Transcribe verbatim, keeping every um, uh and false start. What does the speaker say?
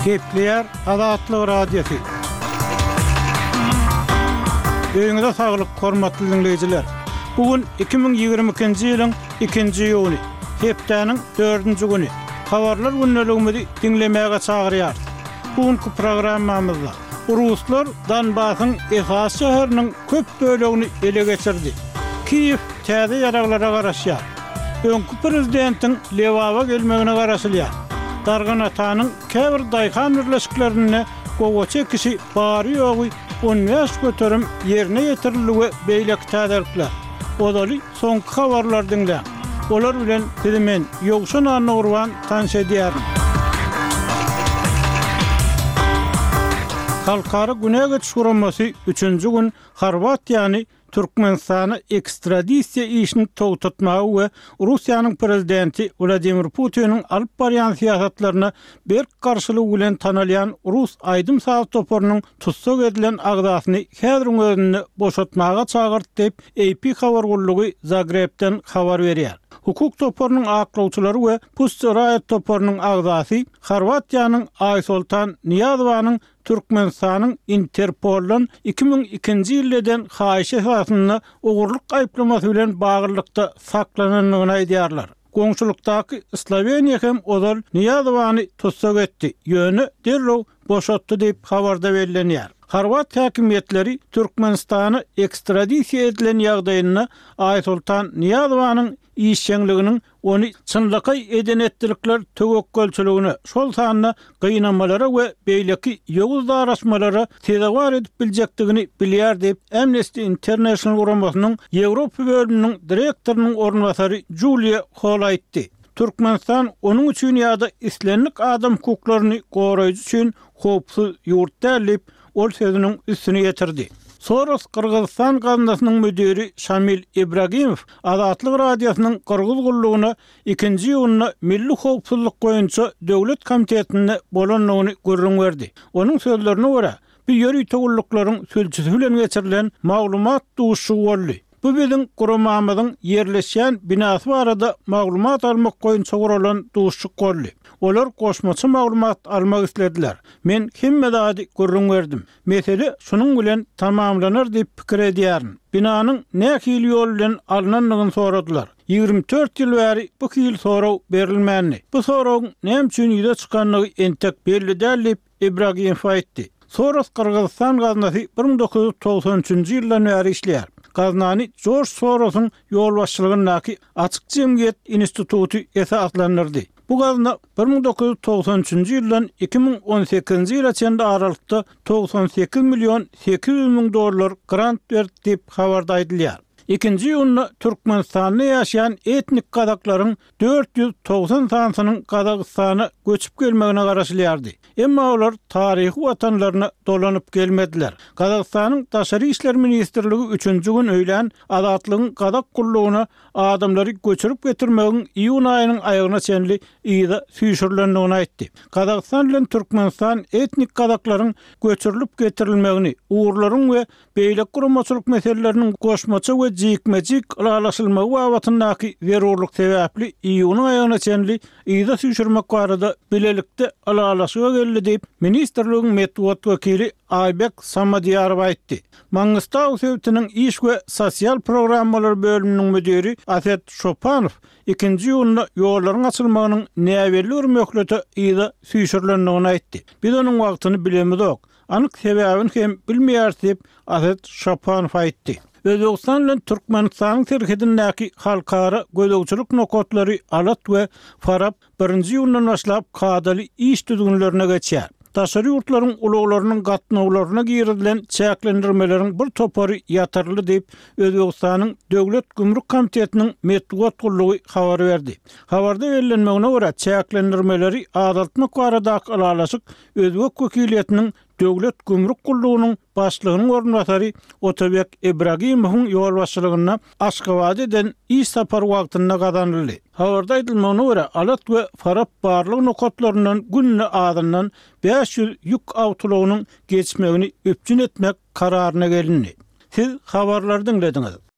Gepleýär Azatlyk Radiosy. Öýüňize saglyk, hormatly diňleýjiler. Bu gün iki müň ýigrimi ikinji ýylyň ikinji iýuny, hepdäniň dördünji güni. Habarlar gündeligimizi diňlemäge çagyrýarys. Bu günki programmamyzda ruslar Donbasyň esasy şäheriniň köp bölegini ele geçirdi. Kiýew täze ýaraglara garaşýar. Öňki prezidentiň Lebaba gelmegine garaşylýar. Darganatanyň käbir daýhan birleşiklerinde gowaça ekişi bary-ýogy on bäş göterim ýerine ýetirildi we beýleki täzelikler. Ozaly soňky habarlary diňläň. Olar bilen sizi men, Ýowşan Annagurban tanyş edýärin. Halkara günä geçiş guramasy üçünji gün Horwatiýany Türkmenistana ekstradisiýa işini togtatmaga we Russiýanyň prezidenti Wladimir Putiniň alyp barýan syýasatlaryna berk garşylygy bilen tanalýan rus aýdym-saz toparynyň tussag edilen agzasyny häziriň özünde boşatmaga çagyrdy diýip, A P habar gullugy Zagrebden habar berýär. Hukuk toparynyň aklawçylary we Pussy Riot toparynyň agzasy Horwatiýanyň Aýsoltan Nyýazowanyň Türkmenistanyň Interpoldan iki müň ikinji ýylda eden haýyşy esasynda ogurlyk aýyplamasy bilen baglylykda saklanandygyny aýdýarlar. Goňşulykdaky Sloweniýa hem ozal Nyýazowany tussag etdi, ýöne derrew boşatdy diýip habarda bellenýär. Horwat häkimiýetleri Türkmenistana ekstradisiýa edilen ýagdaýynda Aýsoltan Nyýazowanyň işjeňliginiň ony çynlakaý eden etdilikler töwekgelçiligine, şol sanda gynamalara we beýleki ýowuz daraşmalara sezewar edip biljekdigini bilýär diýip, Amnesty International guramasynyň Ýewropa bölüminiň direktorynyň orunbasary Julia Hall aýtdy. Türkmenistan onuň üçin ýa-da islendik adam hukuklaryny goraýjy üçin howpsuz ýurt däl diýip, ol sözüniň üstüni ýetirdi. Soros Gyrgyzystan gaznasynyň müdiri Şamil Ibragimow Azatlyk Radiosynyň Gyrgyz gullugyna ikinji iýunda Milli howpsuzlyk boýunça döwlet komitetinde bolandygyny gürrüň berdi. Onuň sözlerine görä, bu ýörite gulluklaryň sülçüsi bilen geçirilen maglumat duşuşygy boldy. Bu biziň guramamyzyň ýerleşýän binasy barada maglumat almak boýunça guralan duşuşyk boldy. Olar goşmaça maglumat almak islediler. Men hemme zady gürrüň berdim. Mesele şunuň bilen tamamlanar diýip pikir edýärin. Binanyň nähili ýol bilen alnandygyny soradylar. Ýigrimi dört ýyl bäri bu hil sorag berilmändi. Bu soragyň näme üçin ýüze çykandygy entek belli däl diýip Ibragimow aýtdy. Soros Gyrgyzystan gaznasy bir müň dokuz ýüz togsan üçünji ýyldan bäri işleýär. Gaznany Jorj Sorosyň ýolbaşçylygyndaky Açyk jemgyýet instituty esaslandyrdy. Bu gazna bir müň dokuz ýüz togsan üçünji ýyldan iki müň on sekizinji ýyla çenli aralykda togsan sekiz million sekiz ýüz müň dollar grant berdi diýip habarda aýdylýar. Ikinji iýunda Türkmenistanda ýaşaýan etnik gazaklaryň dört ýüz togsan sanysynyň Gazagystana göçüp gelmegine garaşylýardy. Emma olar taryhy watanlaryna dolanyp gelmediler. Gazagystanyň Daşary işler ministrligi üçünji gün öýlän Azatlygyň Gazak gullugyna adamlary göçürip getirmegiň iýun aýynyň aýagyna çenli yza süýşürilendigini aýtdy. Gazagystan bilen Türkmenistan etnik gazaklaryň göçürilip getirilmegini, ugurlaryň we beýleki guramaçylyk meseleleriniň goşmaça we jikme-jik ylalaşylmagy babatyndaky zerurlyk sebäpli iýunyň aýagyna çenli yza süýşürmek barada bilelikde ylalaşyga geldi diýip, ministrligiň metbugat wekili Aýbek Samadýarow aýtdy. Mangistau sebitiniň iş we sosial programmalar bölüminiň müdiri Aset Şopanow ikinji iýunda ýollaryň açylmagynyň näbelli bir möhlete yza süýşürilendigini aýtdy. Biz onuň wagtyny bilemizok. Anyk sebäbini hem bilmeýäris diýip, Aset Şopanow aýtdy. Özbegistan bilen Türkmenistanyň serhedindäki halkara gözegçilik nokatlary Alat we Farap birinji iýundan başlap kadaly iş düzgünlerine geçýär. Daşary ýurtlaryň ulaglarynyň gatnawlaryna girizilen çäklendirmeleriň bir topary ýatyryldy diýip, Özbegistanyň Döwlet gümrük komitetiniň metbugat gullugy habar berdi. Habarda bellenmegine görä, çäklendirmeleri azaltmak baradaky ylalaşyk Özbek wekiliýetiniň Döwlet gümrük gullugynyň başlygynyň orunbasary Otabek Ibragimowyň ýolbaşçylygynda Aşgabatda eden iş sapary wagtynda gazanyldy. Habarda aýdylmagyna görä, Alat we Farap barlag nokatlaryndan günde azyndan bäş ýüz ýük awtoulagynyň geçmegini üpjün etmek kararyna gelindi. Siz habarlary diňlediňiz.